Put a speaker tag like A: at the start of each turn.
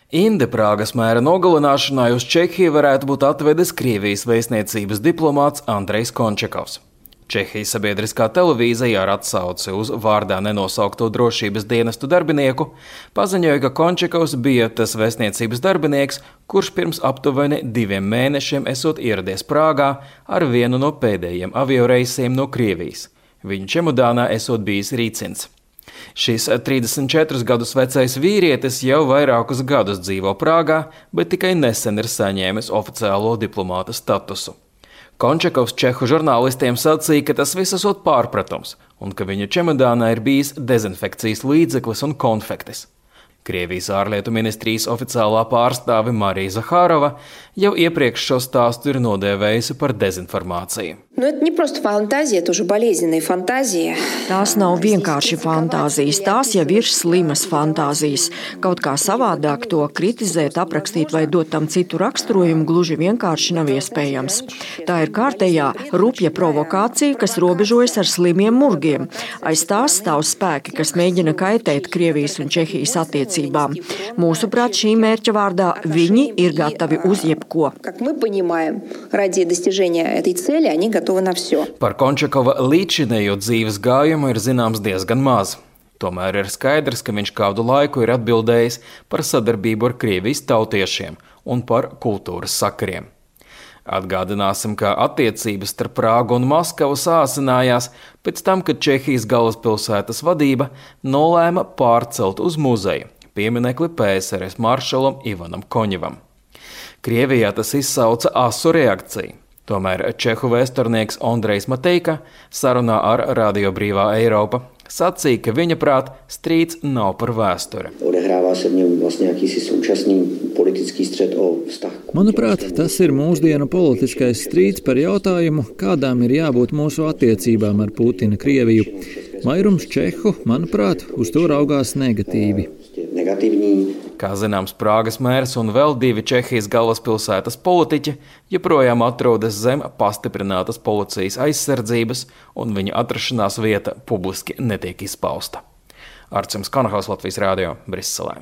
A: Inde Prāgas mēra nogalināšanai uz Čehiju varētu būt atvedis Krievijas vēstniecības diplomāts Andrejs Končakovs. Čehijas sabiedriskā televīzija ar atsauci uz vārdā nenosaukto drošības dienestu darbinieku paziņoja, ka Končakovs bija tas vēstniecības darbinieks, kurš pirms aptuveni 2 mēnešiem esot ieradies Prāgā ar vienu no pēdējiem avioreisiem no Krievijas. Viņa čemodānā esot bijis rīcins. Šis 34 gadus vecais vīrietis jau vairākus gadus dzīvo Prāgā, bet tikai nesen ir saņēmis oficiālo diplomāta statusu. Končakovs čehu žurnālistiem sacīja, ka tas viss esot pārpratums un ka viņa čemodānā ir bijis dezinfekcijas līdzeklis un konfektis. Krievijas ārlietu ministrijas oficiālā pārstāve Marija Zahārova jau iepriekš šo stāstu ir nodēvējusi par dezinformāciju.
B: Tās nav vienkārši fantāzijas, tās jau ir slimas fantāzijas. Kaut kā savādāk to kritizēt, aprakstīt vai dot tam citu raksturojumu gluži vienkārši nav iespējams. Tā ir kārtējā rupja provokācija, kas robežojas ar slimiem murgiem. Aiz tās stāv spēki, kas mēģina kaitēt Krievijas un Čehijas attiecībām. Mūsuprāt, šī mērķa vārdā viņi ir gatavi uz jebko.
A: Par Končakova līdzinējo dzīves gājumu ir zināms diezgan maz. Tomēr ir skaidrs, ka viņš kādu laiku ir atbildējis par sadarbību ar Krievijas tautiešiem un par kultūras sakariem. Atgādināsim, ka attiecības starp Prāgu un Maskavu sāsinājās pēc tam, kad Čehijas galvaspilsētas vadība nolēma pārcelt uz muzeju pieminekli PSRS maršalam Ivanam Koņevam. Krievijā tas izsauca asu reakciju. Tomēr čehu vēsturnieks Ondrejs Mateika sarunā ar Radio Brīvā Eiropa sacīja, ka viņa prāt strīds nav par vēsturi.
C: Manuprāt, tas ir mūsdienu politiskais strīds par jautājumu, kādām ir jābūt mūsu attiecībām ar Putina Krieviju. Vairums čehu, manuprāt, uz to raugās negatīvi.
A: Kā zināms, Prāgas mērs un vēl 2 Čehijas galvaspilsētas politiķi joprojām atrodas zem pastiprinātas policijas aizsardzības, un viņa atrašanās vieta publiski netiek izpausta. Arcims Kanahaus, Latvijas Rādio, Briselē.